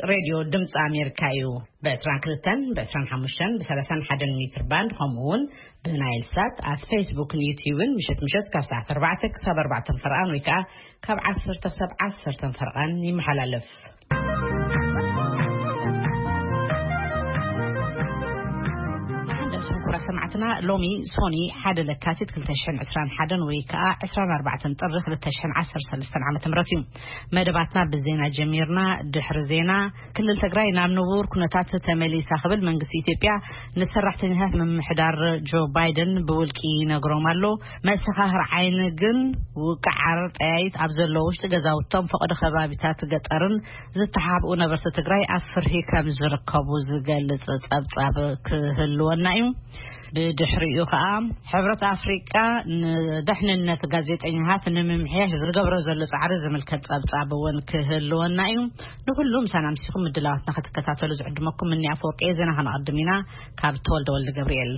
ሬድዮ ድምፂ ኣሜሪካ እዩ። ብ22፣ ብ25፣ ብ31 ሜትር ባንድ፣ ከምኡ እውን ብናይል ሳት ኣብ ፌስቡክን ዩቲዩብን ምሸት ምሸት ካብ ሰዓት 4 ክሳብ 4 ፈርቓን ወይ ከዓ ካብ 10 ክሳብ 10 ፈርቓን ይመሓላለፍ። ሰማዕትና፣ ሎሚ ሶኒ ሓደ ለካቲት ክልተ ሽሕን ዕስራን ሓደን ወይ ከዓ ዕስራን ኣርባዕተን ጥሪ ክልተ ሽሕን ዓሰርተ ሰለስተን ዓመተ ምህረት እዩ። መደባትና ብዜና ጀሚርና። ድሕሪ ዜና፣ ክልል ትግራይ ናብ ንቡር ኩነታት ተመሊሳ ክብል መንግስቲ ኢትዮጵያ ንሰራሕተኛታት ምምሕዳር ጆ ባይደን ብውልቂ ይነግሮም ኣሎ። መሰኻኽር ዓይኒ ግን ውቅዓር ጠያይት ኣብ ዘለዎ ውሽጢ ገዛውቶም ፈቐዶ ከባቢታት ገጠርን ዝተሓብኡ ነበርቲ ትግራይ ኣብ ፍርሂ ከም ዝርከቡ ዝገልጽ ጸብጻብ ክህልወና እዩ። ብድሕሪኡ ከኣ ሕብረት ኣፍሪቃ ንደሕንነት ጋዜጠኛታት ንምምሕያሽ ዝገብሮ ዘሎ ጻዕሪ ዝምልከት ጸብጻብ እውን ክህልወና እዩ። ንኹሉ ምሳና ምሲኹም ምድላዋትና ክትከታተሉ ዝዕድመኩም እኒ ኣፈወርቂ እየ። ዜና ከነቐድም ኢና። ካብ ተወልደ ወልደ ገብርኤል።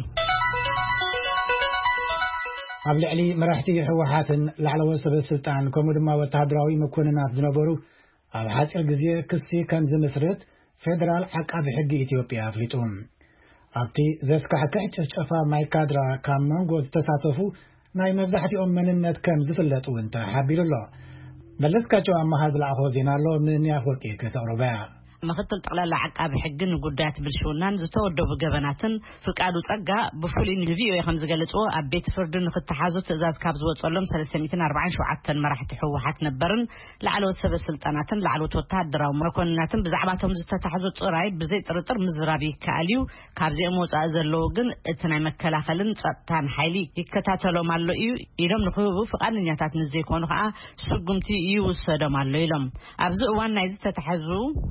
ኣብ ልዕሊ መራሕቲ ህወሓትን ላዕለዎት ሰበ ስልጣን ከምኡ ድማ ወተሃደራዊ መኮንናት ዝነበሩ ኣብ ሓፂር ግዜ ክሲ ከም ዝምስርት ፌደራል ዓቃቢ ሕጊ ኢትዮጵያ ኣፍሊጡ። ኣብቲ ዘስካሕክሕ ጭፍጨፋ ማይካድራ ካብ መንጎ ዝተሳተፉ ናይ መብዛሕትኦም መንነት ከም ዝፍለጥ እውን ተሓቢሩ ኣሎ። መለስካቸው ኣማሃ ዝለኣኾ ዜና ኣሎ፣ ንንያፍ ወርቂ ከተቕርበያ። ምክትል ጠቕላላ ዓቃቢ ሕጊ ንጉዳያት ብልሽውናን ዝተወደቡ ገበናትን ፍቃዱ ጸጋ ብፍሉይ ንቪኦኤ ከም ዝገለጽዎ፣ ኣብ ቤት ፍርዲ ንክተሓዙ ትእዛዝ ካብ ዝወጸሎም ሰለስተ ሚእትን ኣርባዓን ሸውዓተን መራሕቲ ህወሓት ነበርን ላዕለዎት ሰበ ስልጣናትን ላዕለዎት ወተሃደራዊ መኮንናትን ብዛዕባቶም ዝተታሕዙ ጥራይ ብዘይ ጥርጥር ምዝራብ ይከኣል እዩ። ካብዚኦም ወጻኢ ዘለዉ ግን እቲ ናይ መከላኸልን ጸጥታን ሓይሊ ይከታተሎም ኣሎ እዩ ኢሎም፣ ንክህቡ ፍቓደኛታት ንዘይኮኑ ከዓ ስጉምቲ ይውሰዶም ኣሎ ኢሎም። ኣብዚ እዋን ናይ ዝተታሕዙ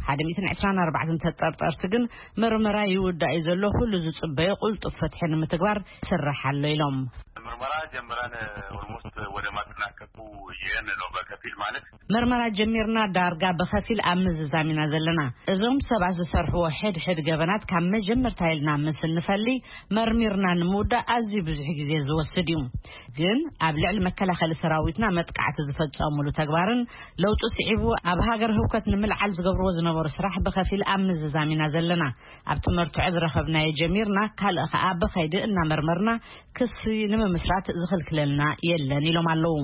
ሓደ ሚእትን ዕስራን ኣርባዕተን ተጠርጠርቲ ግን ምርመራ ይውዳእ እዩ ዘሎ። ኩሉ ዝጽበዮ ቁልጡፍ ፍትሒ ንምትግባር ይስራሕ ኣሎ ኢሎም። ምርመራ ጀምረን ኦልሞስት ወደ ማጠናቀቁ ይሄን ነው። በከፊል ማለት ምርመራ ጀሚርና፣ ዳርጋ ብኸፊል ኣብ ምዝዛም ኢና ዘለና። እዞም ሰባት ዝሰርሕዎ ሕድሕድ ገበናት ካብ መጀመርታ ኢልና ምስ እንፈሊ መርሚርና ንምውዳእ ኣዝዩ ብዙሕ ግዜ ዝወስድ እዩ። ግን ኣብ ልዕሊ መከላኸሊ ሰራዊትና መጥቃዕቲ ዝፈጸሙሉ ተግባርን ለውጢ ስዒቡ ኣብ ሃገር ህውከት ንምልዓል ዝገብርዎ ዝነበሩ ስራሕ ብኸፊል ኣብ ምዝዛም ኢና ዘለና። ኣብቲ መርትዖ ዝረኸብናዮ ጀሚርና፣ ካልእ ኸኣ ብኸይዲ እናመርመርና ክሲ ንምምስራት ዝኽልክለልና የለን ኢሎም ኣለዉ።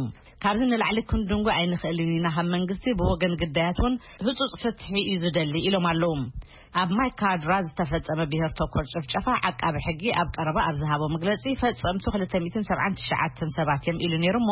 ካብዚ ንላዕሊ ክንድንጉ ኣይንኽእልን ኢና። ካብ መንግስቲ ብወገን ግዳያት እውን ህጹጽ ፍትሒ እዩ ዝደሊ ኢሎም ኣለዉ። ኣብ ማይካድራ ዝተፈጸመ ብሄር ተኮር ጭፍጨፋ ዓቃቢ ሕጊ ኣብ ቀረባ ኣብ ዝሃቦ መግለጺ፣ ፈጸምቱ ክልተ ሚእትን ሰብዓን ትሽዓተን ሰባት እዮም ኢሉ ነይሩ እሞ፣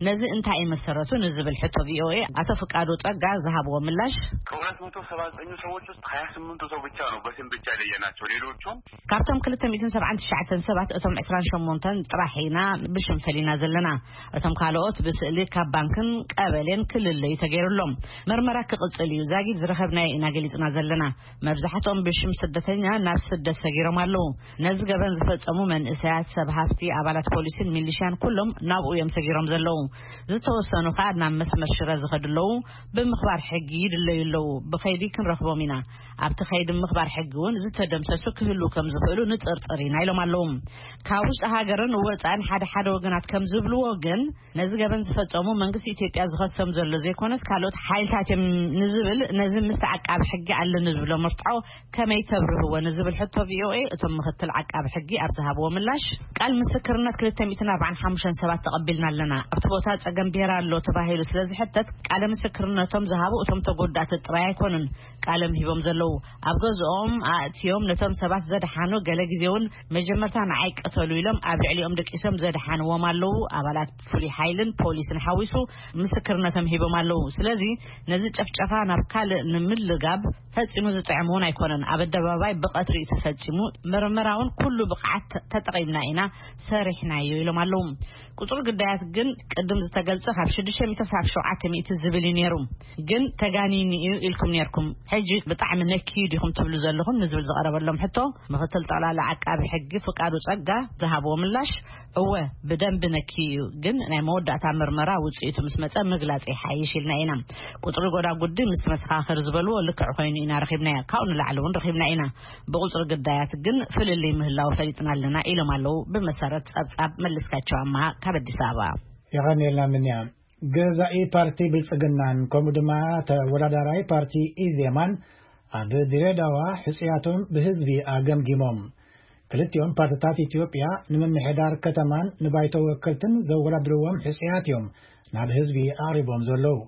ነዚ እንታይ እዩ መሰረቱ ንዝብል ሕቶ ቪኦኤ ኣቶ ፍቃዱ ጸጋ ዝሃብዎ ምላሽ፣ ከሁለት መቶ ሰባ ዘጠኝ ሰዎች ውስጥ ሃያ ስምንቱ ሰው ብቻ ነው በስም ብቻ የለየናቸው። ሌሎቹን ካብቶም ክልተ ሚእትን ሰብዓን ትሽዓተን ሰባት እቶም ዕስራን ሸሞንተን ጥራሕ ኢና ብሽም ፈሊና ዘለና። እቶም ካልኦት ብስእሊ ካብ ባንክን ቀበሌን ክልለዩ ተገይሩሎም። መርመራ ክቕጽል እዩ። ዛጊድ ዝረኸብናዮ ኢና ገሊጽና ዘለና። መብዛሕትኦም ብሽም ስደተኛ ናብ ስደት ሰጊሮም ኣለዉ። ነዚ ገበን ዝፈጸሙ መንእሰያት፣ ሰብ ሃፍቲ፣ ኣባላት ፖሊስን ሚሊሽያን ኩሎም ናብኡ እዮም ሰጊሮም ዘለዉ። ዝተወሰኑ ከኣ ናብ መስመር ሽረ ዝኸዱ ኣለዉ። ብምኽባር ሕጊ ይድለዩ ኣለዉ። ብኸይዲ ክንረኽቦም ኢና። ኣብቲ ኸይዲ ምኽባር ሕጊ እውን ዝተደምሰሱ ክህልዉ ከም ዝኽእሉ ንጥርጥር ኢና ኢሎም ኣለዉ። ካብ ውሽጢ ሃገርን ወጻእን ሓደ ሓደ ወገናት ከም ዝብልዎ ግን፣ ነዚ ገበን ዝፈጸሙ መንግስቲ ኢትዮጵያ ዝኸሶም ዘሎ ዘይኮነስ ካልኦት ሓይልታት እዮም ንዝብል፣ ነዚ ምስ ዓቃቢ ሕጊ ኣለኒ ዝብሎ መርትዖ ከመይ ተብርህዎ ንዝብል ሕቶ ቪኦኤ፣ እቶም ምክትል ዓቃቢ ሕጊ ኣብ ዝሃብዎ ምላሽ፣ ቃል ምስክርነት ክልተ ሚእትን ኣርባዓን ሓሙሽተን ሰባት ተቐቢልና ኣለና። ኣብቲ ቦታ ጸገም ብሄር ኣሎ ተባሂሉ ስለ ዝሕተት፣ ቃለ ምስክርነቶም ዝሃቡ እቶም ተጎዳእቲ ጥራይ ኣይኮኑን። ቃሎም ሂቦም ዘለዉ፣ ኣብ ገዝኦም ኣእትዮም ነቶም ሰባት ዘድሓኑ፣ ገለ ግዜ እውን መጀመርታ ንዓይ ቅተሉ ኢሎም ኣብ ልዕሊኦም ደቂሶም ዘድሓንዎም ኣለዉ። ኣባላት ፍሉይ ሓይልን ፖሊስን ሓዊሱ ምስክርነቶም ሂቦም ኣለዉ። ስለዚ ነዚ ጨፍጨፋ ናብ ካልእ ንምልጋብ ፈጺሙ ዝጥዕም እውን ኣይኮነን። ኣብ ኣደባባይ ብቐትሪ እዩ ተፈጺሙ። መርመራ እውን ኩሉ ብቕዓት ተጠቒምና ኢና ሰሪሕናዮ ኢሎም ኣለዉ። ቁጽሪ ግዳያት ግን ቅድም ዝተገልጸ ካብ ሽዱሽተ ሚእቲ ክሳብ ሸውዓተ ሚእቲ ዝብል እዩ ነይሩ። ግን ተጋኒኑ እዩ ኢልኩም ነይርኩም። ሕጂ ብጣዕሚ ነኪዩ ዲኹም ትብሉ ዘለኹም ንዝብል ዝቐረበሎም ሕቶ፣ ምክትል ጠቕላላ ዓቃቢ ሕጊ ፍቃዱ ጸጋ ዝሃብዎ ምላሽ፣ እወ፣ ብደንቢ ነኪዩ እዩ፣ ግን ናይ መወዳእታ ምርመራ ውጽኢቱ ምስ መጸ ምግላጽ ይሓይሽ ኢልና ኢና። ቁጽሪ ጎዳጉዲ ምስ መሰኻኽር ዝበልዎ ልክዕ ኮይኑ ኢና ረኺብናዮ። ካብኡ ንላዕሊ እውን ረኺብና ኢና። ብቁጽሪ ግዳያት ግን ፍልልይ ምህላው ፈሊጥና ኣለና ኢሎም ኣለዉ። ብመሰረት ጸብጻብ መለስካቸው ኣማሃ ካብ ኣዲስ ኣበባ። የቐንየልና ምንያ። ገዛኢ ፓርቲ ብልጽግናን ከምኡ ድማ ተወዳዳራይ ፓርቲ ኢዜማን ኣብ ድሬዳዋ ሕጽያቶም ብህዝቢ ኣገምጊሞም። ክልቲኦም ፓርትታት ኢትዮጵያ ንምምሕዳር ከተማን ንባይቶ ወከልትን ዘወዳድርዎም ሕጽያት እዮም ናብ ህዝቢ ኣቕሪቦም ዘለዉ።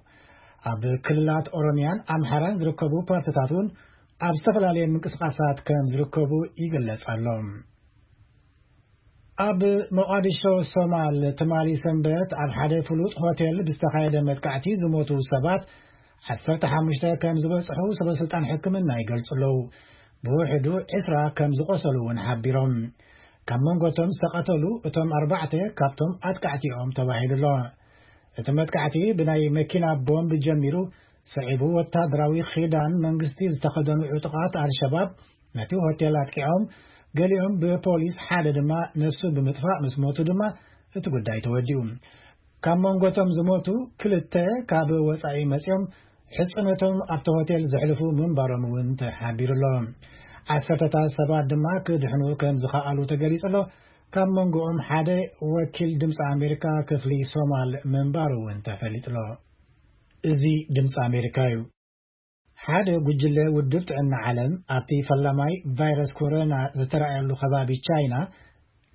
ኣብ ክልላት ኦሮሚያን ኣምሓራን ዝርከቡ ፓርትታት እውን ኣብ ዝተፈላለየ ምንቅስቃሳት ከም ዝርከቡ ይግለጽ ኣሎ። ኣብ ሞቓዲሾ ሶማል ትማሊ ሰንበት ኣብ ሓደ ፍሉጥ ሆቴል ብዝተኻየደ መጥቃዕቲ ዝሞቱ ሰባት ዓሰርተ ሓሙሽተ ከም ዝበጽሑ ሰበስልጣን ሕክምና ይገልጹ ኣለዉ። ብውሕዱ ዕስራ ከም ዝቖሰሉ እውን ሓቢሮም። ካብ መንጎቶም ዝተቐተሉ እቶም ኣርባዕተ ካብቶም ኣጥቃዕቲኦም ተባሂሉ ኣሎ። እቲ መጥቃዕቲ ብናይ መኪና ቦምብ ጀሚሩ፣ ስዒቡ ወታደራዊ ኺዳን መንግስቲ ዝተኸደኑ ዕጡቓት ኣልሸባብ ነቲ ሆቴል ኣጥቂዖም፣ ገሊኦም ብፖሊስ፣ ሓደ ድማ ነፍሱ ብምጥፋእ ምስ ሞቱ ድማ እቲ ጉዳይ ተወዲኡ። ካብ መንጎቶም ዝሞቱ ክልተ ካብ ወጻኢ መጺኦም ሕጽነቶም ኣብቲ ሆቴል ዘሕልፉ ምንባሮም እውን ተሓቢሩ ኣሎ። ዓሰርተታት ሰባት ድማ ክድሕኑ ከም ዝኸኣሉ ተገሊጹ ኣሎ። ካብ መንጎኦም ሓደ ወኪል ድምፂ ኣሜሪካ ክፍሊ ሶማል ምንባሩ እውን ተፈሊጡ ኣሎ። እዚ ድምፂ ኣሜሪካ እዩ። ሓደ ጉጅለ ውድብ ጥዕና ዓለም ኣብቲ ፈላማይ ቫይረስ ኮሮና ዝተረኣየሉ ከባቢ ቻይና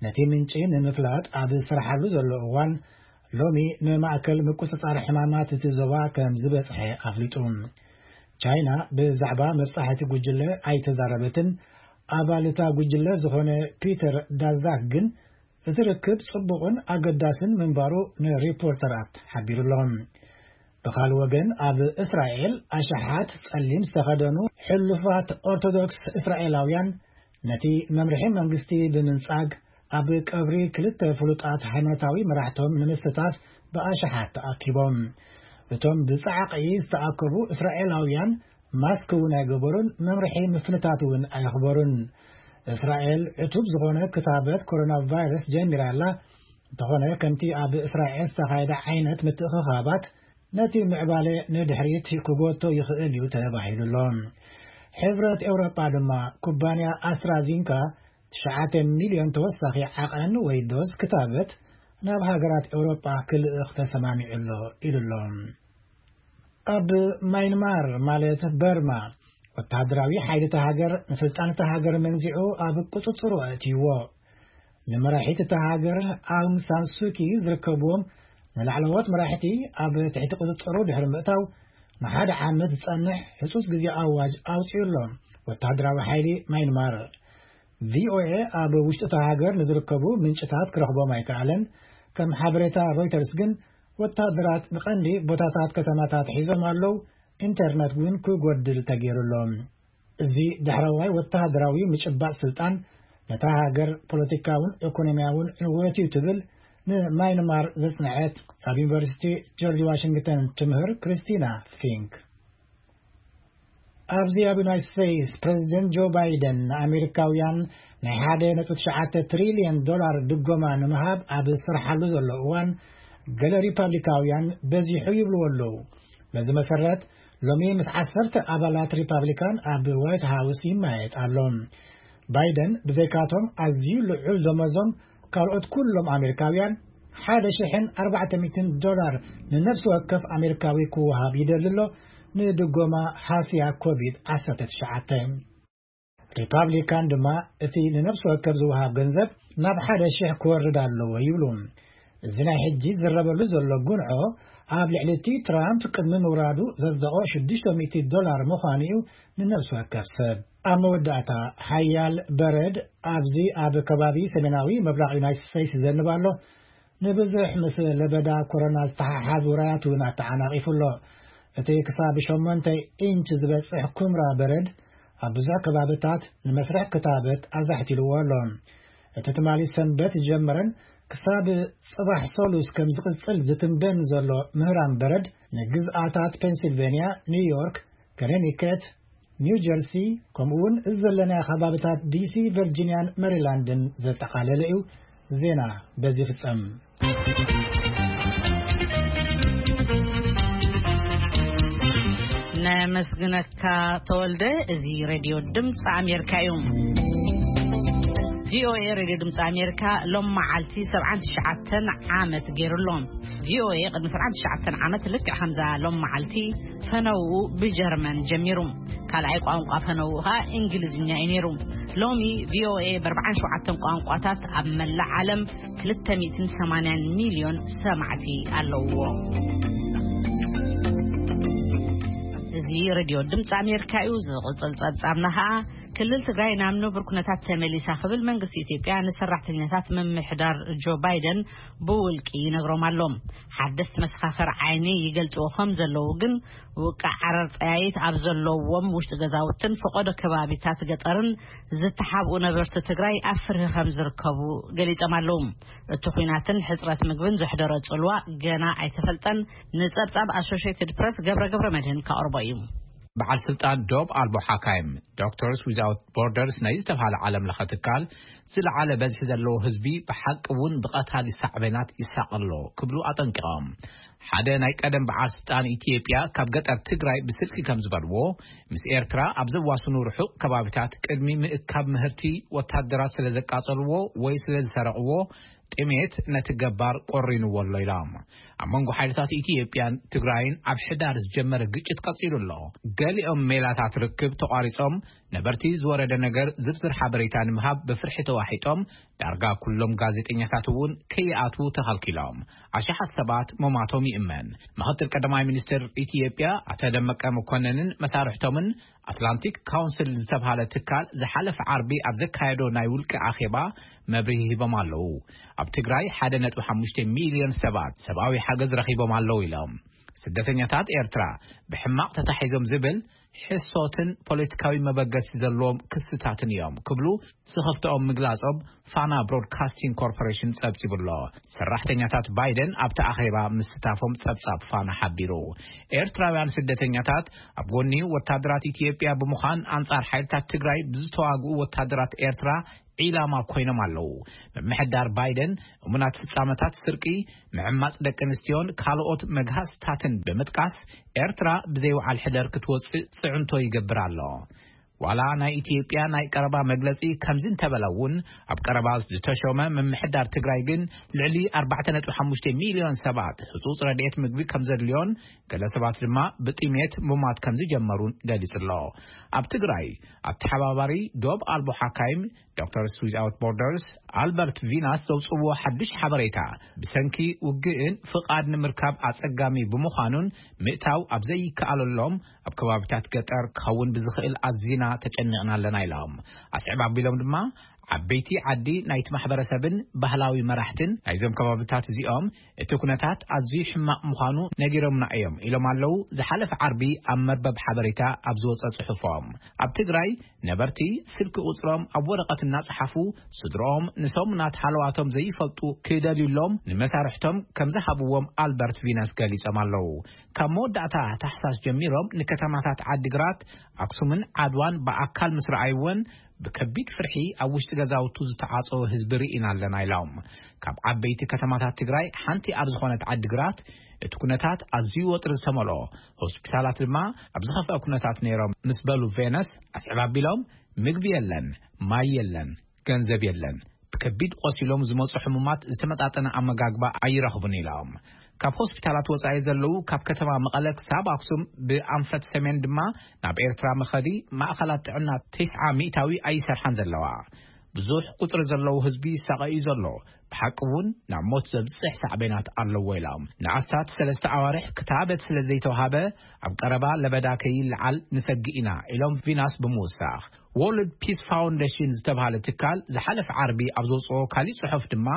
ነቲ ምንጪ ንምፍላጥ ኣብ ዝሰርሓሉ ዘሎ እዋን ሎሚ ንማእከል ምቁጽጻር ሕማማት እቲ ዞባ ከም ዝበጽሐ ኣፍሊጡ። ቻይና ብዛዕባ መብጻሕቲ ጉጅለ ኣይተዛረበትን። ኣባል እታ ጉጅለ ዝኾነ ፒተር ዳዛክ ግን እቲ ርክብ ጽቡቕን ኣገዳስን ምንባሩ ንሪፖርተራት ሓቢሩ ኣሎ። ብኻልእ ወገን ኣብ እስራኤል ኣሽሓት ጸሊም ዝተኸደኑ ሕሉፋት ኦርቶዶክስ እስራኤላውያን ነቲ መምርሒ መንግስቲ ብምንጻግ ኣብ ቀብሪ ክልተ ፍሉጣት ሃይማኖታዊ መራሕቶም ንምስታፍ ብኣሽሓት ተኣኪቦም። እቶም ብጻዕቒ ዝተኣከቡ እስራኤላውያን ማስክ እውን ኣይገበሩን፣ መምርሒ ምፍንታት እውን ኣየኽበሩን። እስራኤል ዕቱብ ዝኾነ ክታበት ኮሮና ቫይረስ ጀሚራ ኣላ። እንተኾነ ከምቲ ኣብ እስራኤል ዝተኻየደ ዓይነት ምትእኽኻባት ነቲ ምዕባለ ንድሕሪት ክጎቶ ይኽእል እዩ ተባሂሉ ኣሎ። ሕብረት ኤውሮጳ ድማ ኩባንያ ኣስትራዚንካ ትሽዓተ ሚልዮን ተወሳኺ ዓቐን ወይ ዶዝ ክታበት ናብ ሃገራት ኤውሮጳ ክልእኽ ተሰማሚዑ ኣሎ ኢሉ ኣሎ። ኣብ ማይንማር ማለት በርማ ወታደራዊ ሓይሊ እታ ሃገር ንስልጣን እታ ሃገር መንዚዑ ኣብ ቁጽጽሩ ኣእትይዎ። ንመራሒት እታ ሃገር ኣውንግ ሳን ሱኪ ዝርከብዎም ንላዕለዎት መራሕቲ ኣብ ትሕቲ ቁጽጽሩ ድሕሪ ምእታው ንሓደ ዓመት ዝጸንሕ ህጹጽ ግዜ ኣዋጅ ኣውጺኡ ኣሎ ወታደራዊ ሓይሊ ማይንማር። ቪኦኤ ኣብ ውሽጢ እታ ሃገር ንዝርከቡ ምንጭታት ክረኽቦም ኣይከኣለን። ከም ሓበሬታ ሮይተርስ ግን ወታደራት ንቐንዲ ቦታታት ከተማታት ሒዞም ኣለዉ። ኢንተርነት እውን ክጎድል ተገይሩ ኣሎ። እዚ ዳሕረዋይ ወተሃደራዊ ምጭባጥ ስልጣን ነታ ሃገር ፖለቲካውን ኢኮኖሚያውን ዕንወት እዩ ትብል ንማይንማር ዘጽንዐት ኣብ ዩኒቨርሲቲ ጆርጅ ዋሽንግተን ትምህር ክሪስቲና ፊንክ። ኣብዚ ኣብ ዩናይትድ ስቴትስ ፕሬዚደንት ጆ ባይደን ንኣሜሪካውያን ናይ ሓደ ነጥቢ ትሽዓተ ትሪልዮን ዶላር ድጎማ ንምሃብ ኣብ ዝሰርሓሉ ዘሎ እዋን ገለ ሪፓብሊካውያን በዚሑ ይብልዎ ኣለዉ። በዚ መሰረት ሎሚ ምስ ዓሰርተ ኣባላት ሪፓብሊካን ኣብ ዋይት ሃውስ ይመያየጥ ኣሎ። ባይደን ብዘይካቶም ኣዝዩ ልዑል ደሞዞም ካልኦት ኩሎም ኣሜሪካውያን ሓደ ሽሕን ኣርባዕተ ሚእትን ዶላር ንነፍሲ ወከፍ ኣሜሪካዊ ክወሃብ ይደሊ ኣሎ፣ ንድጎማ ሃስያ ኮቪድ ዓሰርተ ትሽዓተ። ሪፓብሊካን ድማ እቲ ንነፍሲ ወከፍ ዝወሃብ ገንዘብ ናብ ሓደ ሽሕ ክወርድ ኣለዎ ይብሉ። እዚ ናይ ሕጂ ዝረበሉ ዘሎ ጉንዖ ኣብ ልዕሊ እቲ ትራምፕ ቅድሚ ምውራዱ ዘጽደቖ ሽዱሽተ ሚእቲ ዶላር ምዃኑ እዩ ንነፍሲ ወከፍ ሰብ። ኣብ መወዳእታ ሓያል በረድ ኣብዚ ኣብ ከባቢ ሰሜናዊ ምብራቕ ዩናይትድ ስቴትስ ይዘንብ ኣሎ። ንብዙሕ ምስ ለበዳ ኮሮና ዝተሓሓዝ ውራያት እውን ኣተዓናቒፉ ኣሎ። እቲ ክሳብ ሸሞንተ ኢንች ዝበጽሕ ኩምራ በረድ ኣብ ብዙሕ ከባብታት ንመስርሕ ክታበት ኣዛሕቲልዎ ኣሎ። እቲ ትማሊ ሰንበት ዝጀመረን ክሳብ ጽባሕ ሰሉስ ከም ዝቕጽል ዝትንበን ዘሎ ምህራም በረድ ንግዝኣታት ፔንሲልቬንያ፣ ኒውዮርክ፣ ከነቲከት፣ ኒው ጀርሲ፣ ከምኡ እውን እዚ ዘለናዮ ከባብታት ዲሲ፣ ቨርጂንያን ሜሪላንድን ዘጠቓለለ እዩ። ዜና በዚ ይፍጸም። ነመስግነካ ተወልደ። እዚ ሬድዮ ድምፂ ኣሜሪካ እዩ። ቪኦኤ ሬድዮ ድምፂ ኣሜሪካ ሎም መዓልቲ ሰብዓን ትሽዓተን ዓመት ገይሩ ኣሎ። ቪኦኤ ቅድሚ ሰብዓን ትሽዓተን ዓመት ልክዕ ከምዛ ሎም መዓልቲ ፈነውኡ ብጀርመን ጀሚሩ። ካልኣይ ቋንቋ ፈነውኡ ኸዓ እንግሊዝኛ እዩ ነይሩ። ሎሚ ቪኦኤ ብኣርባዓን ሸውዓተን ቋንቋታት ኣብ መላእ ዓለም ክልተ ሚእትን ሰማንያን ሚልዮን ሰማዕቲ ኣለውዎ። እዚ ሬድዮ ድምፂ ኣሜሪካ እዩ። ዝቕፅል ፀብፃብና ኸዓ ክልል ትግራይ ናብ ንቡር ኩነታት ተመሊሳ ክብል መንግስቲ ኢትዮጵያ ንሰራሕተኛታት ምምሕዳር ጆ ባይደን ብውልቂ ይነግሮም ኣሎ። ሓደስቲ መሰኻኽር ዓይኒ ይገልፅዎ ከም ዘለዉ ግን ውቃዕ ዓረር ጠያይት ኣብ ዘለዎም ውሽጢ ገዛውትን ፈቐዶ ከባቢታት ገጠርን ዝተሓብኡ ነበርቲ ትግራይ ኣብ ፍርሂ ከም ዝርከቡ ገሊጾም ኣለዉ። እቲ ኹናትን ሕጽረት ምግብን ዘሕደሮ ጽልዋ ገና ኣይተፈልጠን። ንጸብጻብ ኣሶሽየትድ ፕረስ ገብረ ገብረ መድህን ከቕርቦ እዩ። በዓል ስልጣን ዶብ ኣልቦ ሓካይም ዶክተርስ ዊዛውት ቦርደርስ ናይ ዝተባሃለ ዓለም ለኸ ትካል ዝለዓለ በዝሒ ዘለዎ ህዝቢ ብሓቂ እውን ብቐታሊ ሳዕቤናት ይሳቐ ኣሎ ክብሉ ኣጠንቂቖም። ሓደ ናይ ቀደም በዓል ስልጣን ኢትዮጵያ ካብ ገጠር ትግራይ ብስልኪ ከም ዝበልዎ፣ ምስ ኤርትራ ኣብ ዘዋስኑ ርሑቕ ከባቢታት ቅድሚ ምእካብ ምህርቲ ወታደራት ስለ ዘቃጸልዎ ወይ ስለ ዝሰረቕዎ ጥሜት ነቲ ገባር ቆሪንዎ ኣሎ ኢሎም። ኣብ መንጎ ሓይልታት ኢትዮጵያን ትግራይን ኣብ ሕዳር ዝጀመረ ግጭት ቀጺሉ ኣሎ። ገሊኦም ሜላታት ርክብ ተቋሪጾም ነበርቲ ዝወረደ ነገር ዝርዝር ሓበሬታ ንምሃብ ብፍርሒ ተዋሒጦም ዳርጋ ኩሎም ጋዜጠኛታት እውን ከይኣትዉ ተኸልኪሎም። ኣሽሓት ሰባት መማቶም ይእመን። ምኽትል ቀዳማይ ሚኒስትር ኢትዮጵያ ኣቶ ደመቀ መኮነንን መሳርሕቶምን ኣትላንቲክ ካውንስል ዝተብሃለ ትካል ዝሓለፈ ዓርቢ ኣብ ዘካየዶ ናይ ውልቂ ኣኼባ መብርሂ ሂቦም ኣለዉ። ኣብ ትግራይ ሓደ ነጥቢ ሓሙሽተ ሚልዮን ሰባት ሰብኣዊ ሓገዝ ረኺቦም ኣለዉ ኢሎም። ስደተኛታት ኤርትራ ብሕማቕ ተታሒዞም ዝብል ሕሶትን ፖለቲካዊ መበገሲ ዘለዎም ክስታትን እዮም ክብሉ ስኽፍተኦም ምግላጾም ፋና ብሮድካስቲንግ ኮርፖሬሽን ጸብጺቡ ኣሎ። ሰራሕተኛታት ባይደን ኣብቲ ኣኼባ ምስታፎም ጸብጻብ ፋና ሓቢሩ። ኤርትራውያን ስደተኛታት ኣብ ጎኒ ወታደራት ኢትዮጵያ ብምዃን ኣንጻር ሓይልታት ትግራይ ብዝተዋግኡ ወታደራት ኤርትራ ዒላማ ኮይኖም ኣለዉ። ምምሕዳር ባይደን እሙናት ፍጻመታት ስርቂ፣ ምዕማጽ ደቂ ኣንስትዮን ካልኦት መግሃስታትን ብምጥቃስ ኤርትራ ብዘይ ወዓል ሕደር ክትወጽእ ጽዕንቶ ይገብር ኣሎ። ዋላ ናይ ኢትዮጵያ ናይ ቀረባ መግለጺ ከምዚ እንተበለ እውን ኣብ ቀረባ ዝተሾመ ምምሕዳር ትግራይ ግን ልዕሊ ኣርባዕተ ነጥቢ ሓሙሽተ ሚልዮን ሰባት ህጹጽ ረድኤት ምግቢ ከም ዘድልዮን ገለ ሰባት ድማ ብጥሜት ምሟት ከም ዝጀመሩን ገሊጹ ኣሎ። ኣብ ትግራይ ኣተሓባባሪ ዶብ ኣልቦ ሓካይም ዶክተርስ ዊዛውት ቦርደርስ ኣልበርት ቪናስ ዘውፅዎ ሓዱሽ ሓበሬታ ብሰንኪ ውግእን ፍቓድ ንምርካብ ኣጸጋሚ ብምዃኑን ምእታው ኣብ ዘይከኣለሎም ኣብ ከባቢታት ገጠር ክኸውን ብዝኽእል ኣዚና ተጨኒቕና ኣለና ኢሎም። ኣስዕብ ኣቢሎም ድማ ዓበይቲ ዓዲ ናይቲ ማሕበረሰብን ባህላዊ መራሕትን ናይዞም ከባቢታት እዚኦም እቲ ኩነታት ኣዝዩ ሕማቕ ምዃኑ ነጊሮምና እዮም ኢሎም ኣለዉ። ዝሓለፈ ዓርቢ ኣብ መርበብ ሓበሬታ ኣብ ዝወፀ ጽሑፎም ኣብ ትግራይ ነበርቲ ስልኪ ቁጽሮም ኣብ ወረቐት እናጸሓፉ ስድሮኦም ንሰሙናት ሃለዋቶም ዘይፈልጡ ክደልዩሎም ንመሳርሕቶም ከም ዝሃብዎም ኣልበርት ቪነስ ገሊጾም ኣለዉ። ካብ መወዳእታ ታሕሳስ ጀሚሮም ንከተማታት ዓዲግራት፣ ኣክሱምን ዓድዋን ብኣካል ምስ ረኣይወን ብከቢድ ፍርሒ ኣብ ውሽጢ ገዛውቱ ዝተዓጸወ ህዝቢ ርኢና ኣለና ኢሎም። ካብ ዓበይቲ ከተማታት ትግራይ ሓንቲ ኣብ ዝኾነት ዓዲግራት እቲ ኩነታት ኣዝዩ ወጥሪ ዝተመልኦ፣ ሆስፒታላት ድማ ኣብ ዝኸፍአ ኩነታት ነይሮም ምስ በሉ ቬነስ ኣስዕብ ኣቢሎም ምግቢ የለን፣ ማይ የለን፣ ገንዘብ የለን። ብከቢድ ቆሲሎም ዝመፁ ሕሙማት ዝተመጣጠነ ኣመጋግባ ኣይረኽቡን ኢሎም። ካብ ሆስፒታላት ወፃኢ ዘለዉ ካብ ከተማ መቐለ ክሳብ ኣክሱም ብኣንፈት ሰሜን ድማ ናብ ኤርትራ መኸዲ ማእኸላት ጥዕና ተስዓ ሚእታዊ ኣይሰርሓን ዘለዋ። ብዙሕ ቁፅሪ ዘለዉ ህዝቢ ይሳቐ እዩ ዘሎ። ብሓቂ እውን ናብ ሞት ዘብፅሕ ሳዕቤናት ኣለዎ ኢሎም። ንኣስታት ሰለስተ ኣዋርሕ ክታበት ስለ ዘይተዋሃበ ኣብ ቀረባ ለበዳ ከይለዓል ንሰግእ ኢና ኢሎም ቪናስ ብምውሳኽ። ወርልድ ፒስ ፋውንዴሽን ዝተባሃለ ትካል ዝሓለፈ ዓርቢ ኣብ ዘውፅኦ ካሊእ ፅሑፍ ድማ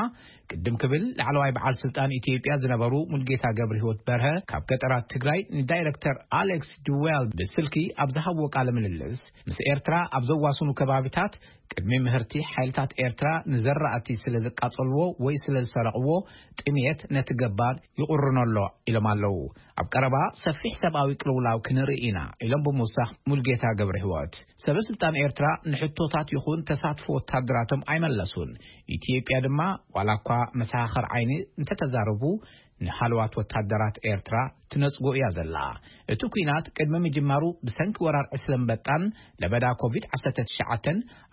ቅድም ክብል ላዕለዋይ በዓል ስልጣን ኢትዮጵያ ዝነበሩ ሙልጌታ ገብረ ህይወት በርሀ ካብ ገጠራት ትግራይ ንዳይሬክተር ኣሌክስ ድዌል ብስልኪ ኣብ ዝሃብዎ ቃለ ምልልስ ምስ ኤርትራ ኣብ ዘዋስኑ ከባቢታት ቅድሚ ምህርቲ ሓይልታት ኤርትራ ንዘራእቲ ስለ ዘቃጸልዎ ወይ ስለ ዝሰረቕዎ ጥሜት ነቲ ገባር ይቑርኖ ኣሎ ኢሎም ኣለዉ። ኣብ ቀረባ ሰፊሕ ሰብኣዊ ቅልውላው ክንርኢ ኢና ኢሎም ብምውሳኽ ሙልጌታ ገብረ ህይወት። ሰበ ስልጣን ኤርትራ ንሕቶታት ይኹን ተሳትፎ ወታደራቶም ኣይመለሱን። ኢትዮጵያ ድማ ዋላ እኳ መሰኻኽር ዓይኒ እንተተዛረቡ ንሃለዋት ወታደራት ኤርትራ ትነጽጎ እያ ዘላ። እቲ ኲናት ቅድሚ ምጅማሩ ብሰንኪ ወራር ዕስለ ኣንበጣን ለበዳ ኮቪድ ዓሰርተ ትሽዓተ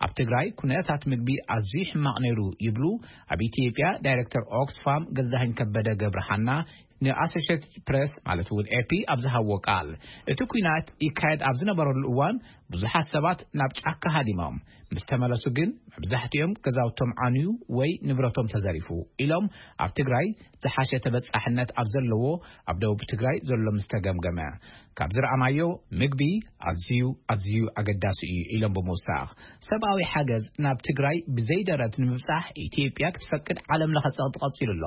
ኣብ ትግራይ ኩነታት ምግቢ ኣዝዩ ሕማቕ ነይሩ ይብሉ ኣብ ኢትዮጵያ ዳይሬክተር ኦክስፋም ገዛኸኝ ከበደ ገብረሃና ንኣሶሽየትድ ፕሬስ ማለት እውን ኤፒ ኣብ ዝሃብዎ ቃል። እቲ ኲናት ይካየድ ኣብ ዝነበረሉ እዋን ብዙሓት ሰባት ናብ ጫካ ሃዲሞም ምስ ተመለሱ ግን መብዛሕትኦም ገዛውቶም ዓንዩ ወይ ንብረቶም ተዘሪፉ ኢሎም ኣብ ትግራይ ዝሓሸ ተበጻሕነት ኣብ ዘለዎ ኣብ ደቡብ ትግራይ ዘሎ ምስ ተገምገመ ካብ ዝረኣናዮ ምግቢ ኣዝዩ ኣዝዩ ኣገዳሲ እዩ ኢሎም ብምውሳኽ ሰብኣዊ ሓገዝ ናብ ትግራይ ብዘይደረት ንምብጻሕ ኢትዮጵያ ክትፈቅድ ዓለም ለኸ ጸቕጢ ቀጺሉ ኣሎ።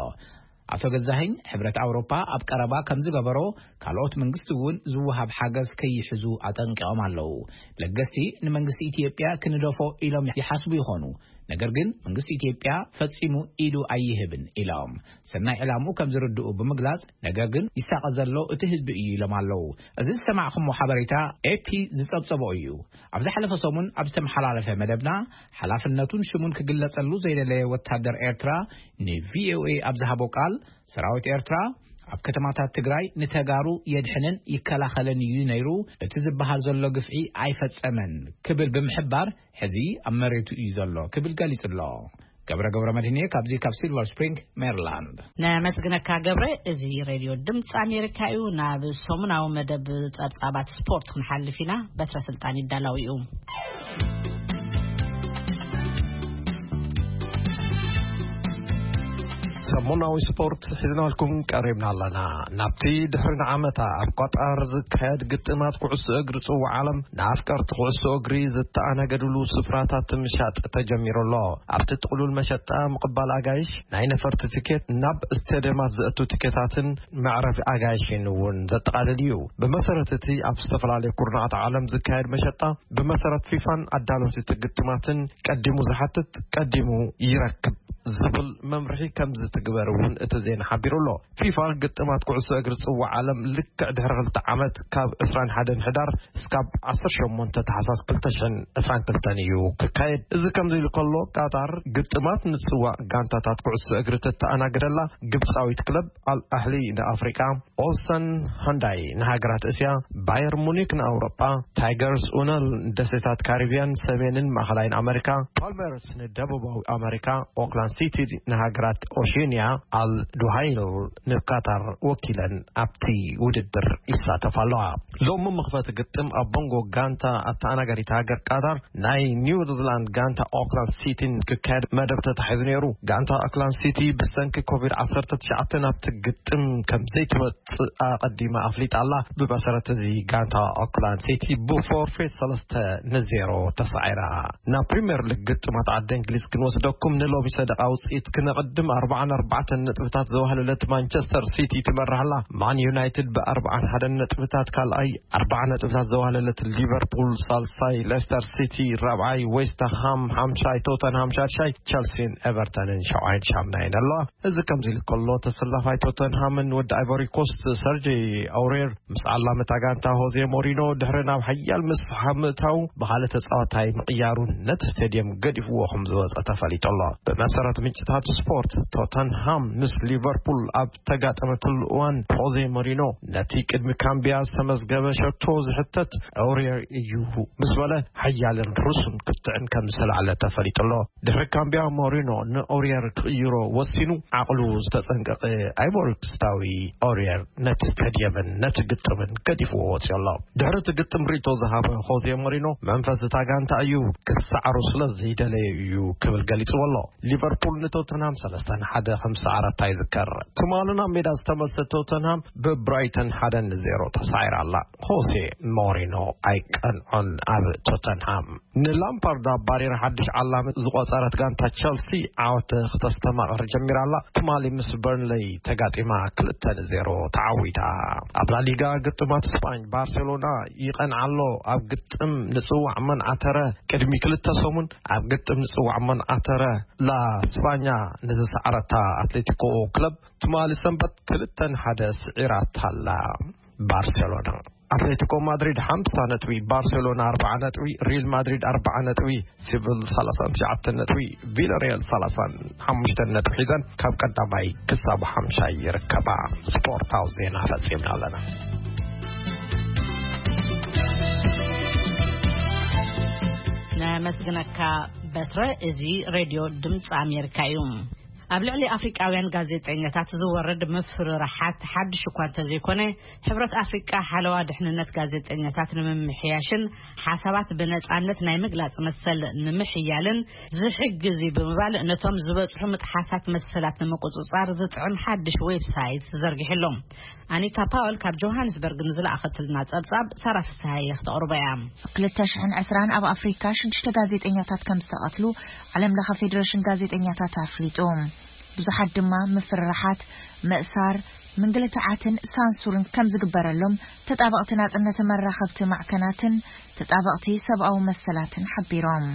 ኣቶ ገዛኸኝ ሕብረት ኣውሮፓ ኣብ ቀረባ ከም ዝገበሮ ካልኦት መንግስቲ እውን ዝወሃብ ሓገዝ ከይሕዙ ኣጠንቂቖም ኣለዉ። ለገስቲ ንመንግስቲ ኢትዮጵያ ክንደፎ ኢሎም ይሓስቡ ይኾኑ። ነገር ግን መንግስቲ ኢትዮጵያ ፈጺሙ ኢዱ ኣይህብን ኢሎም ሰናይ ዕላምኡ ከም ዝርድኡ ብምግላጽ ነገር ግን ይሳቐ ዘሎ እቲ ህዝቢ እዩ ኢሎም ኣለዉ። እዚ ዝሰማዕኹሞ ሓበሬታ ኤፒ ዝጸብጸቦ እዩ። ኣብ ዝሓለፈ ሰሙን ኣብ ዝተመሓላለፈ መደብና ሓላፍነቱን ሽሙን ክግለጸሉ ዘይደለየ ወታደር ኤርትራ ንቪኦኤ ኣብ ዝሃቦ ቃል ሰራዊት ኤርትራ ኣብ ከተማታት ትግራይ ንተጋሩ የድሕንን ይከላኸልን እዩ ነይሩ፣ እቲ ዝበሃል ዘሎ ግፍዒ ኣይፈጸመን ክብል ብምሕባር ሕዚ ኣብ መሬቱ እዩ ዘሎ ክብል ገሊጹ ኣሎ። ገብረ ገብረ መድህንየ ካብዚ ካብ ሲልቨር ስፕሪንግ ሜሪላንድ። ነመስግነካ ገብረ። እዚ ሬድዮ ድምፂ ኣሜሪካ እዩ። ናብ ሰሙናዊ መደብ ጸብጻባት ስፖርት ክንሓልፍ ኢና። በትረ ስልጣን ይዳላው እዩ። ሰሙናዊ ስፖርት ሒዝናልኩም ቀሪብና ኣለና። ናብቲ ድሕሪ ንዓመታ ኣብ ቋጣር ዝካየድ ግጥማት ኩዕሶ እግሪ ጽዋዕ ዓለም ንኣፍቀርቲ ኩዕሶ እግሪ ዝተኣናገድሉ ስፍራታት ምሻጥ ተጀሚሩ ኣሎ። ኣብቲ ጥቕሉል መሸጣ ምቕባል ኣጋይሽ፣ ናይ ነፈርቲ ትኬት፣ ናብ ስቴድየማት ዘእቱ ትኬታትን መዕረፊ ኣጋይሽን እውን ዘጠቓልል እዩ። ብመሰረት እቲ ኣብ ዝተፈላለዩ ኩርናዓት ዓለም ዝካየድ መሸጣ፣ ብመሰረት ፊፋን ኣዳለውቲ ግጥማትን ቀዲሙ ዝሓትት ቀዲሙ ይረክብ ዝብል መምርሒ ከም ዝትግበር እውን እቲ ዜና ሓቢሩ ኣሎ። ፊፋ ግጥማት ኩዕሶ እግሪ ጽዋዕ ዓለም ልክዕ ድሕሪ ክልተ ዓመት ካብ ዕስራን ሓደን ሕዳር እስካብ ዓሰርተ ሸሞንተ ታሕሳስ ክልተ ሽሕን ዕስራን ክልተን እዩ ክካየድ። እዚ ከምዚ ኢሉ ከሎ፣ ቃጣር ግጥማት ንጽዋዕ ጋንታታት ኩዕሶ እግሪ ተተኣናግደላ ግብጻዊት ክለብ ኣል ኣህሊ ንኣፍሪቃ፣ ኦልሰን ሃንዳይ ንሃገራት እስያ፣ ባየር ሙኒክ ንኣውሮጳ፣ ታይገርስ ኡነል ንደሴታት ካሪብያን ሰሜንን ማእኸላይን ኣመሪካ፣ ፓልሜርስ ንደቡባዊ ኣመሪካ፣ ኦክላንድ ሲቲ ንሃገራት ኦሽንያ፣ ኣል ዱሃይል ንካታር ወኪለን ኣብቲ ውድድር ይሳተፋ ኣለዋ። ሎሚ መኽፈቲ ግጥም ኣብ መንጎ ጋንታ ኣተኣናጋዲት ሃገር ቃታር ናይ ኒውዚላንድ ጋንታ ኦክላንድ ሲቲን ክካየድ መደብ ተታሒዙ ነይሩ። ጋንታ ኦክላንድ ሲቲ ብሰንኪ ኮቪድ ዓሰርተ ትሽዓተ ናብቲ ግጥም ከም ዘይትመጽእ ኣቐዲማ ኣፍሊጣ ኣላ። ብመሰረት እዚ ጋንታ ኦክላንድ ሲቲ ብፎርፌት ሰለስተ ንዜሮ ተሳዒራ። ናብ ፕሪምየር ሊግ ግጥማት ዓዲ እንግሊዝ ክንወስደኩም ንሎሚ ሰደቓ ውፅኢት ክነቕድም ኣርባዓን ኣርባዕተን ነጥብታት ዘዋህለለት ማንቸስተር ሲቲ ትመርሕ ኣላ። ማን ዩናይትድ ብኣርባዓን ሓደን ነጥብታት ካልኣይ፣ ኣርባዓ ነጥብታት ዘዋህለለት ሊቨርፑል ሳልሳይ፣ ሌስተር ሲቲ ራብዓይ፣ ዌስትሃም ሓምሻይ፣ ቶተንሃም ሻድሻይ፣ ቸልሲን ኤቨርተንን ሸውዓይን ሻምናይን ኣለዋ። እዚ ከምዚ ኢሉ ከሎ ተሰላፋይ ቶተንሃምን ወዲ ኣይቮሪ ኮስት ሰርጂ ኣውሬር ምስ ዓላሚ እታ ጋንታ ሆዜ ሞሪኖ ድሕሪ ናብ ሓያል ምስሕሓብ ምእታው ብኻልእ ተጻዋታይ ምቕያሩ ነቲ ስቴድየም ገዲፍዎ ከም ዝወጸ ተፈሊጡ ኣሎ። ብመሰረት ምንጭታት ስፖርት፣ ቶተንሃም ምስ ሊቨርፑል ኣብ ተጋጠመትሉ እዋን ሆዜ ሞሪኖ ነቲ ቅድሚ ካምቢያ ዝተመዝገበ ሸቶ ዝሕተት ኣውሬር እዩ ምስ በለ ሓያልን ርሱን ክትዕን ከም ዝተላዕለ ተፈሊጡ ኣሎ። ድሕሪ ካምቢያ ሞሪኖ ንኦሪየር ክቕይሮ ወሲኑ ዓቕሉ ዝተጸንቀቐ ኣይቮሪኮስታዊ ኦሪየር ነቲ ስታድየምን ነቲ ግጥምን ገዲፍዎ ወጺኡ ኣሎ። ድሕሪ እቲ ግጥም ርእይቶ ዝሃበ ሆዜ ሞሪኖ መንፈስ እታ ጋንታ እዩ ክሰዓሩ ስለ ዘይደለየ እዩ ክብል ገሊጽዎ ኣሎ። ሊቨርፑል ንቶተንሃም ሰለስተ ንሓደ ከም ዝሰዓረታ ይዝከር። ትማሊ ናብ ሜዳ ዝተመልሰ ቶተንሃም ብብራይተን ሓደ ንዜሮ ተሳዒራ ኣላ። ሆዜ ሞሪኖ ኣይቀንዖን ኣብ ቶተንሃም። ንላምፓርድ ኣባሪራ ሓድሽ ዓላሚ ዝቖጸረት ጋንታ ቸልሲ ዓወት ክተስተማቕር ጀሚራ ኣላ። ትማሊ ምስ በርንለይ ተጋጢማ ክልተ ንዜሮ ተዓዊታ። ኣብ ላሊጋ ግጥማት ስጳኝ ባርሴሎና ይቐንዓ ኣሎ። ኣብ ግጥም ንጽዋዕ መንዓተረ ቅድሚ ክልተ ሰሙን ኣብ ግጥም ንጽዋዕ መንዓተረ ላ ስፓኛ ንዝሰዓረታ ኣትሌቲኮ ክለብ ትማሊ ሰንበት ክልተ ንሓደ ስዒራታ ኣላ። ባርሴሎና። ኣትሌቲኮ ማድሪድ ሓምሳ ነጥቢ፣ ባርሴሎና ኣርባዓ ነጥቢ፣ ሪል ማድሪድ ኣርባዓ ነጥቢ፣ ሲቪል ሰላሳን ትሽዓተን ነጥቢ፣ ቪላሪያል ሰላሳን ሓሙሽተን ነጥቢ ሒዘን ካብ ቀዳማይ ክሳብ ሓምሻይ ይርከባ። ስፖርታዊ ዜና ፈጺምና ኣለና። ነመስግነካ በትረ። እዚ ሬድዮ ድምፂ ኣሜሪካ እዩ። ኣብ ልዕሊ ኣፍሪቃውያን ጋዜጠኛታት ዝወርድ ምፍርራሓት ሓድሽ እኳ እንተዘይኮነ፣ ሕብረት ኣፍሪቃ ሓለዋ ድሕንነት ጋዜጠኛታት ንምምሕያሽን ሓሳባት ብነጻነት ናይ ምግላጽ መሰል ንምሕያልን ዝሕግዝ እዩ ብምባል፣ ነቶም ዝበጽሑ ምጥሓሳት መሰላት ንምቁጽጻር ዝጥዕም ሓድሽ ዌብሳይት ዘርጊሑ ኣሎ። ኣኒታ ፓወል ካብ ጆሃንስበርግ ንዝለኣኸትልና ጸብጻብ ሳራ ፍስሃየ ክተቕርቦ እያ። ክልተ ሽሕን ዕስራን ኣብ ኣፍሪካ ሽዱሽተ ጋዜጠኛታት ከም ዝተቐትሉ ዓለም ለኸ ፌዴሬሽን ጋዜጠኛታት ኣፍሊጡ። ብዙሓት ድማ ምፍርራሓት፣ ምእሳር፣ ምንግልታዓትን ሳንሱርን ከም ዝግበረሎም ተጣበቕቲ ናጽነት መራኸብቲ ማዕከናትን ተጣበቕቲ ሰብኣዊ መሰላትን ሓቢሮም።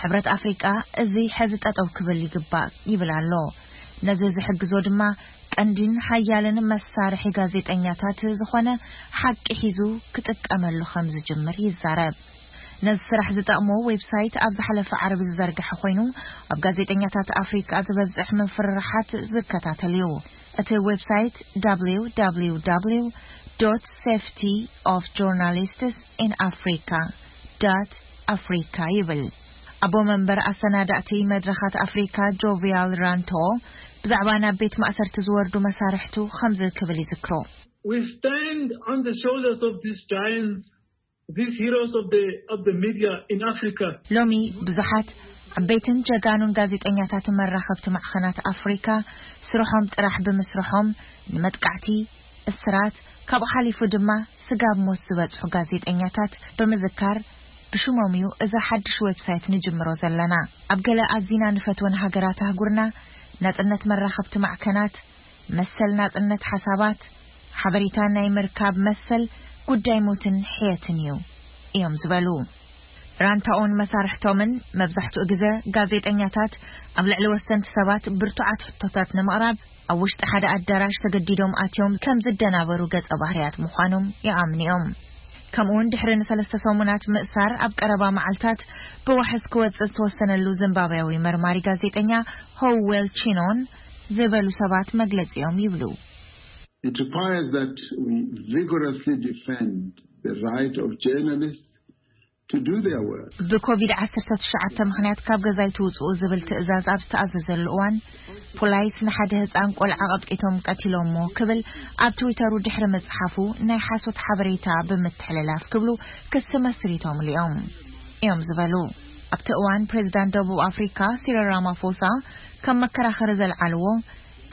ሕብረት ኣፍሪቃ እዚ ሕዚ ጠጠው ክብል ይግባእ ይብል ኣሎ። ነዚ ዝሕግዞ ድማ ቀንዲን ሓያልን መሳርሒ ጋዜጠኛታት ዝኾነ ሓቂ ሒዙ ክጥቀመሉ ከም ዝጅምር ይዛረብ። ነዚ ስራሕ ዝጠቕሞ ዌብሳይት ኣብ ዝሓለፈ ዓርቢ ዝዘርግሐ ኮይኑ፣ ኣብ ጋዜጠኛታት ኣፍሪቃ ዝበዝሕ ምፍርራሓት ዝከታተል እዩ። እቲ ዌብሳይት www.safetyofjournalistsinaafrica.africa ይብል። ኣቦ መንበር ኣሰናዳእቲ መድረኻት ኣፍሪካ ጆቪያል ራንቶ ብዛዕባ ናብ ቤት ማእሰርቲ ዝወርዱ መሳርሕቱ ከምዚ ክብል ይዝክሮ። We stand on the shoulders of these giants, these heroes of the, of the media in Africa. ሎሚ ብዙሓት ዓበይትን ጀጋኑን ጋዜጠኛታትን መራኸብቲ ማዕኸናት ኣፍሪካ ስርሖም ጥራሕ ብምስርሖም ንመጥቃዕቲ፣ እስራት፣ ካብኡ ሓሊፉ ድማ ስጋብ ሞት ዝበጽሑ ጋዜጠኛታት ብምዝካር ብሽሞም እዩ እዚ ሓድሽ ዌብሳይት ንጅምሮ ዘለና። ኣብ ገለ ኣዚና ንፈትወን ሃገራት ኣህጉርና ናጽነት መራኸብቲ ማዕከናት፣ መሰል ናጽነት ሓሳባት፣ ሓበሬታ ናይ ምርካብ መሰል ጉዳይ ሞትን ሕየትን እዩ እዮም ዝበሉ። ራንታኦን መሳርሕቶምን መብዛሕትኡ ግዜ ጋዜጠኛታት ኣብ ልዕሊ ወሰንቲ ሰባት ብርቱዓት ሕቶታት ንምቕራብ ኣብ ውሽጢ ሓደ ኣዳራሽ ተገዲዶም ኣትዮም ከም ዝደናበሩ ገጸ ባህርያት ምዃኖም ይኣምኑ እዮም። ከምኡውን ድሕሪ ንሰለስተ ሰሙናት ምእሳር ኣብ ቀረባ መዓልታት ብዋሕስ ክወጽእ ዝተወሰነሉ ዚምባብያዊ መርማሪ ጋዜጠኛ ሆዌል ቺኖን ዝበሉ ሰባት መግለጺኦም ይብሉ። It requires that we vigorously defend the right of journalists to do their work. ብኮቪድ ዓሰርተ ትሽዓተ ምኽንያት ካብ ገዛ ኣይትውጽኡ ዝብል ትእዛዝ ኣብ ዝተኣዘዘሉ እዋን፣ ፖላይስ ንሓደ ህጻን ቆልዓ ቀጥቂቶም ቀቲሎሞ ክብል ኣብ ትዊተሩ ድሕሪ ምጽሓፉ ናይ ሓሶት ሓበሬታ ብምትሕልላፍ ክብሉ ክሲ መስሪቶምሉ እዮም እዮም ዝበሉ። ኣብቲ እዋን ፕሬዚዳንት ደቡብ ኣፍሪካ ሲሪል ራማፎሳ ከም መከራኸሪ ዘልዓልዎ፣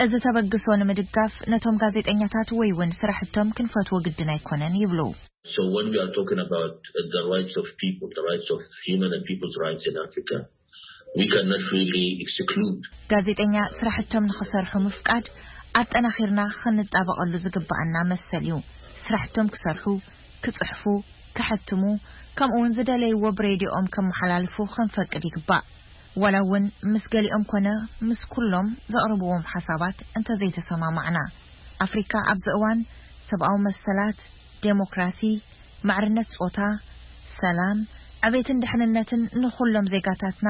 እዚ ተበግሶ ንምድጋፍ ነቶም ጋዜጠኛታት ወይ እውን ስራሕቶም ክንፈትዎ ግድን ኣይኮነን ይብሉ። So when we are talking about, uh, the rights of people, the rights of human and people's rights in Africa, we cannot really exclude. ጋዜጠኛ ስራሕቶም ንኽሰርሑ ምፍቃድ ኣጠናኺርና ክንጣበቐሉ ዝግባኣና መሰል እዩ። ስራሕቶም ክሰርሑ፣ ክጽሕፉ፣ ክሕትሙ፣ ከምኡ እውን ዝደለይዎ ብሬድዮኦም ከመሓላልፉ ክንፈቅድ ይግባእ። ዋላ እውን ምስ ገሊኦም ኮነ ምስ ኩሎም ዘቕርብዎም ሓሳባት እንተዘይተሰማማዕና። ኣፍሪካ ኣብዚ እዋን ሰብኣዊ መሰላት፣ ዴሞክራሲ፣ ማዕርነት ጾታ፣ ሰላም፣ ዕቤትን ድሕንነትን ንኹሎም ዜጋታትና፣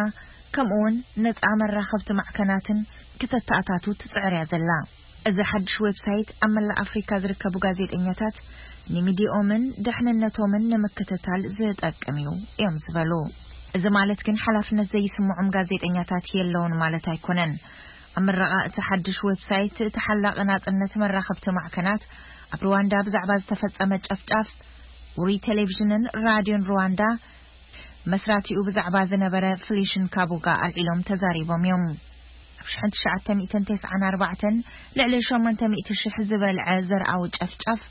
ከምኡውን ነጻ መራኸብቲ ማዕከናትን ክተተኣታቱ ትጽዕር እያ ዘላ። እዚ ሓድሽ ዌብሳይት ኣብ መላእ ኣፍሪካ ዝርከቡ ጋዜጠኛታት ንሚዲኦምን ድሕንነቶምን ንምክትታል ዝጠቅም እዩ እዮም ዝበሉ። እዚ ማለት ግን ሓላፍነት ዘይስምዖም ጋዜጠኛታት የለውን ማለት ኣይኮነን። ኣብ ምረቓ እቲ ሓድሽ ዌብሳይት፣ ተሓላቒ ናጽነት መራኸብቲ ማዕከናት ኣብ ሩዋንዳ ብዛዕባ ዝተፈጸመ ጨፍጫፍ፣ ውሩይ ቴሌቪዥንን ራድዮን ሩዋንዳ መስራቲኡ ብዛዕባ ዝነበረ ፍሊሽን ካቡጋ ኣልዒሎም ተዛሪቦም እዮም። ኣብ ሽሕን ትሽዓተ ሚእትን ተስዓን ኣርባዕተን ልዕሊ ሸሞንተ ሚእቲ ሽሕ ዝበልዐ ዘርኣዊ ጨፍጫፍ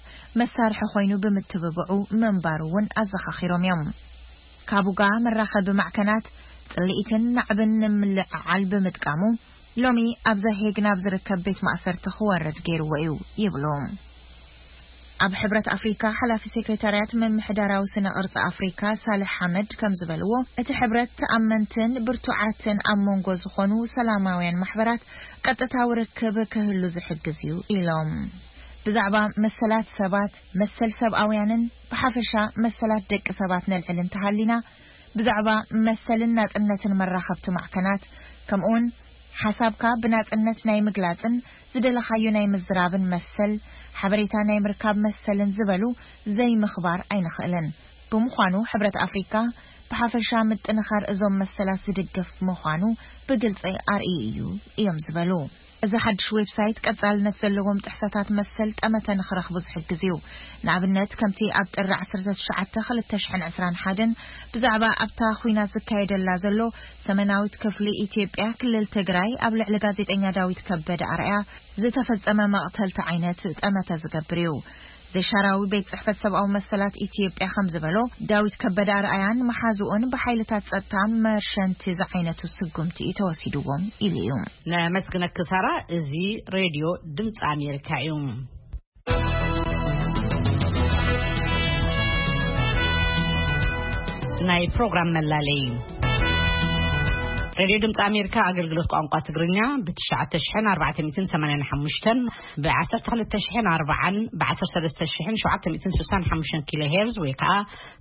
መሳርሒ ኮይኑ ብምትብብዑ ምንባሩ እውን ኣዘኻኺሮም እዮም። ካቡጋ መራኸቢ ማዕከናት ጽልኢትን ናዕብን ንምልዕዓል ብምጥቃሙ፣ ሎሚ ኣብ ዘሄግ ናብ ዝርከብ ቤት ማእሰርቲ ክወርድ ገይርዎ እዩ ይብሉ። ኣብ ሕብረት ኣፍሪካ ሓላፊ ሴክሬታርያት ምምሕዳራዊ ስነ ቅርጺ ኣፍሪካ ሳልሕ ሓመድ ከም ዝበልዎ፣ እቲ ሕብረት ተኣመንትን ብርቱዓትን ኣብ መንጎ ዝኾኑ ሰላማውያን ማሕበራት ቀጥታዊ ርክብ ክህሉ ዝሕግዝ እዩ ኢሎም። ብዛዕባ መሰላት ሰባት፣ መሰል ሰብኣውያንን ብሓፈሻ መሰላት ደቂ ሰባት ነልዕል እንተሃሊና፣ ብዛዕባ መሰልን ናጽነትን መራኸብቲ ማዕከናት፣ ከምኡውን ሓሳብካ ብናጽነት ናይ ምግላጽን ዝደለኻዮ ናይ ምዝራብን መሰል፣ ሓበሬታ ናይ ምርካብ መሰልን ዝበሉ ዘይምኽባር ኣይንኽእልን። ብምዃኑ ሕብረት ኣፍሪካ ብሓፈሻ ምጥንኻር እዞም መሰላት ዝድግፍ ምዃኑ ብግልጺ ኣርእዩ እዩ እዮም ዝበሉ። እዚ ሓድሽ ዌብሳይት ቀጻልነት ዘለዎም ጥሕሰታት መሰል ጠመተ ንኽረኽቡ ዝሕግዝ እዩ። ንኣብነት ከምቲ ኣብ ጥሪ ዓሰርተ ትሽዓተ ክልተ ሽሕን ዕስራን ሓደን ብዛዕባ ኣብታ ኹናት ዝካየደላ ዘሎ ሰሜናዊት ክፍሊ ኢትዮጵያ ክልል ትግራይ ኣብ ልዕሊ ጋዜጠኛ ዳዊት ከበደ ኣርኣያ ዝተፈጸመ መቕተልቲ ዓይነት ጠመተ ዝገብር እዩ። ዘይሻራዊ ቤት ጽሕፈት ሰብኣዊ መሰላት ኢትዮጵያ ከም ዝበሎ፣ ዳዊት ከበደ ኣርኣያን መሓዝኡን ብሓይልታት ጸጥታ መርሸንቲ ዝዓይነቱ ስጉምቲ እዩ ተወሲድዎም ኢሉ እዩ። ነመስግነኪ ሳራ። እዚ ሬድዮ ድምፂ ኣሜሪካ እዩ። ናይ ፕሮግራም መላለይ። ሬድዮ ድምፂ ኣሜሪካ ኣገልግሎት ቋንቋ ትግርኛ ብ ትሽዓተ ሽሕን ኣርባዕተ ሚእትን ሰማንያን ሓሙሽተን፣ ብ ዓሰርተ ክልተ ሽሕን ኣርባዓን፣ ብ ዓሰርተ ሰለስተ ሽሕን ሸውዓተ ሚእትን ስሳን ሓሙሽተን ኪሎ ሄርዝ ወይ ከዓ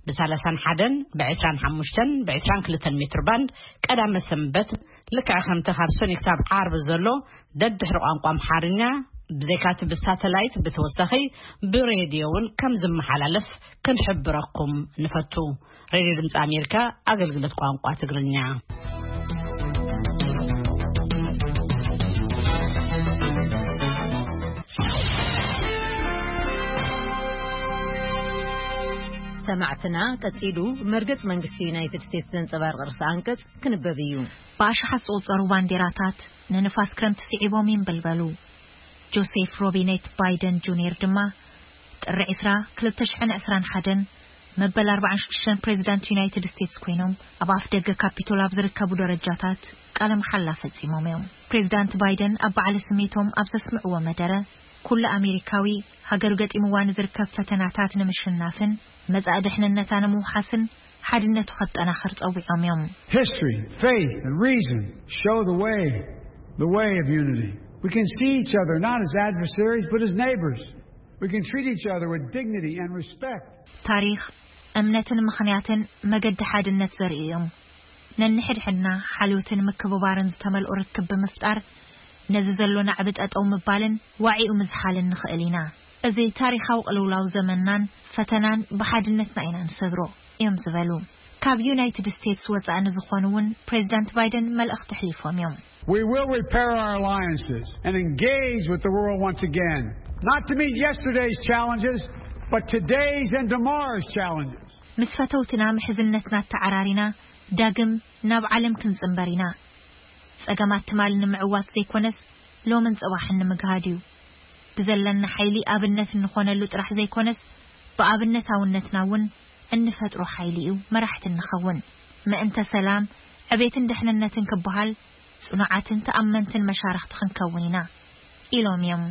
ብ ሰላሳን ሓደን፣ ብ ዕስራን ሓሙሽተን፣ ብ ዕስራን ክልተን ሜትር ባንድ ቀዳመ ሰንበት ልክዕ ከምቲ ካብ ሰኒ ክሳብ ዓርቢ ዘሎ ደድሕሪ ቋንቋ ኣምሓርኛ ብዘይካቲ ብሳተላይት ብተወሳኺ ብሬድዮ እውን ከም ዝመሓላለፍ ክንሕብረኩም ንፈቱ። ሬድዮ ድምፂ ኣሜሪካ ኣገልግሎት ቋንቋ ትግርኛ። ሰማዕትና፣ ቀጺሉ መርገጽ መንግስቲ ዩናይትድ ስቴትስ ዘንጸባርቕ ርእሰ ኣንቀጽ ክንበብ እዩ። ብኣሽሓት ዝቑጸሩ ባንዴራታት ንንፋስ ክረምቲ ስዒቦም ይንበልበሉ። ጆሴፍ ሮቢኔት ባይደን ጁኒየር ድማ ጥሪ ዕስራ ክልተ ሽሕን ዕስራን ሓደን መበል ኣርባዓን ሽዱሽተን ፕሬዚዳንት ዩናይትድ ስቴትስ ኮይኖም ኣብ ኣፍ ደገ ካፒቶል ኣብ ዝርከቡ ደረጃታት ቃለ መሓላ ፈጺሞም እዮም። ፕሬዚዳንት ባይደን ኣብ በዓለ ስሜቶም ኣብ ዘስምዕዎ መደረ፣ ኩሉ ኣሜሪካዊ ሃገሩ ገጢምዋ ንዝርከብ ፈተናታት ንምሽናፍን መጻኢ ድሕንነታ ንምውሓስን ሓድነቱ ከጠናኽር ጸዊዖም እዮም። History, faith, and reason show the way, the way of unity. We can see each other not as adversaries, but as neighbors. We can treat each other with dignity and respect. ታሪኽ፣ እምነትን ምኽንያትን መገዲ ሓድነት ዘርእዩ እዮም። ነንሕድሕድና ሓልዮትን ምክብባርን ዝተመልኦ ርክብ ብምፍጣር፣ ነዚ ዘሎ ናዕቢ ጠጠው ምባልን ዋዒኡ ምዝሓልን ንኽእል ኢና። እዚ ታሪኻዊ ቅልውላው ዘመንናን ፈተናን ብሓድነትና ኢና ንሰግሮ እዮም ዝበሉ። ካብ ዩናይትድ ስቴትስ ወጻኢ ንዝኾኑ እውን ፕሬዚዳንት ባይደን መልእኽቲ ኣሕሊፎም እዮም። We will repair our alliances and engage with the world once again, not to meet yesterday's challenges, but today's and tomorrow's challenges. ምስ ፈተውትና ምሕዝነትና ተዓራሪና ዳግም ናብ ዓለም ክንጽንበር ኢና። ጸገማት ትማሊ ንምዕዋት ዘይኮነስ፣ ሎምን ጽባሕን ንምግሃድ እዩ። ብዘለና ሓይሊ ኣብነት እንኾነሉ ጥራሕ ዘይኮነስ፣ ብኣብነታውነትና እውን እንፈጥሮ ሓይሊ እዩ መራሕቲ እንኸውን። ምእንተ ሰላም፣ ዕቤትን ድሕንነትን ክበሃል፣ ጽኑዓትን ተኣመንትን መሻርኽቲ ክንከውን ኢና ኢሎም እዮም።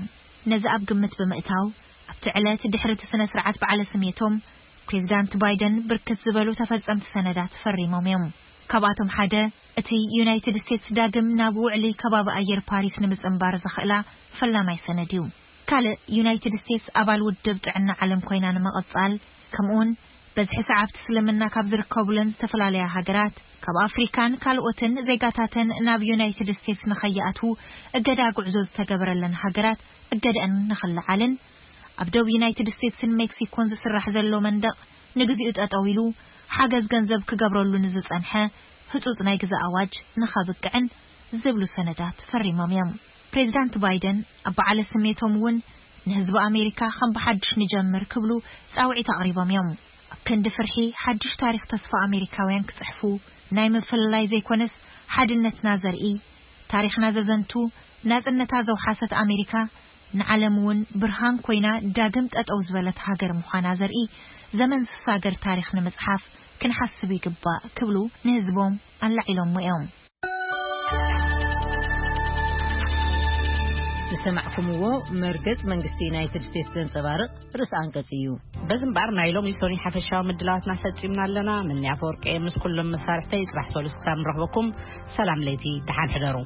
ነዚ ኣብ ግምት ብምእታው፣ ኣብቲ ዕለት ድሕሪ እቲ ስነ ስርዓት በዓለ ስሜቶም፣ ፕሬዚዳንት ባይደን ብርክት ዝበሉ ተፈጸምቲ ሰነዳት ፈሪሞም እዮም። ካብኣቶም ሓደ እቲ ዩናይትድ ስቴትስ ዳግም ናብ ውዕሊ ከባቢ ኣየር ፓሪስ ንምጽንባር ዘኽእላ ፈላማይ ሰነድ እዩ። ካልእ ዩናይትድ ስቴትስ ኣባል ውድብ ጥዕና ዓለም ኮይና ንምቕጻል፣ ከምኡውን በዝሒ ሰዓብቲ እስልምና ካብ ዝርከቡለን ዝተፈላለያ ሃገራት፣ ካብ ኣፍሪካን ካልኦትን ዜጋታተን ናብ ዩናይትድ ስቴትስ ንኸይኣትዉ እገዳ ጉዕዞ ዝተገበረለን ሃገራት እገደአን ንኽለዓልን፣ ኣብ ደቡብ ዩናይትድ ስቴትስን ሜክሲኮን ዝስራሕ ዘሎ መንደቕ ንግዚኡ ጠጠው ኢሉ ሓገዝ ገንዘብ ክገብረሉ ንዝጸንሐ ህጹጽ ናይ ግዛ ኣዋጅ ንኸብቅዕን ዝብሉ ሰነዳት ፈሪሞም እዮም። ፕሬዚዳንት ባይደን ኣብ በዓለ ስሜቶም እውን ንህዝቢ ኣሜሪካ ከም ብሓድሽ ንጀምር ክብሉ ጻውዒት ኣቕሪቦም እዮም። ኣብ ክንዲ ፍርሒ ሓድሽ ታሪኽ ተስፋ ኣሜሪካውያን ክጽሕፉ፣ ናይ ምፍልላይ ዘይኮነስ ሓድነትና ዘርኢ፣ ታሪኽና ዘዘንቱ፣ ናጽነታ ዘውሓሰት ኣሜሪካ ንዓለም እውን ብርሃን ኮይና ዳግም ጠጠው ዝበለት ሃገር ምዃና ዘርኢ ዘመን ዝሳገር ታሪኽ ንምጽሓፍ ክንሓስብ ይግባእ ክብሉ ንህዝቦም ኣላዒሎሞ እዮም። ዝሰማዕኩምዎ መርገጽ መንግስቲ ዩናይትድ ስቴትስ ዘንጸባርቕ ርእሰ ኣንቀጽ እዩ። በዚ እምበኣር ናይ ሎሚ ሶኒ ሓፈሻዊ ምድላዋትና ፈጺምና ኣለና። ምንያ ኣፈወርቂ ምስ ኩሎም መሳርሕተይ ጽባሕ ሰሉስ ክሳብ ንረኽበኩም ሰላም ለይቲ፣ ደሓን ሕደሩ።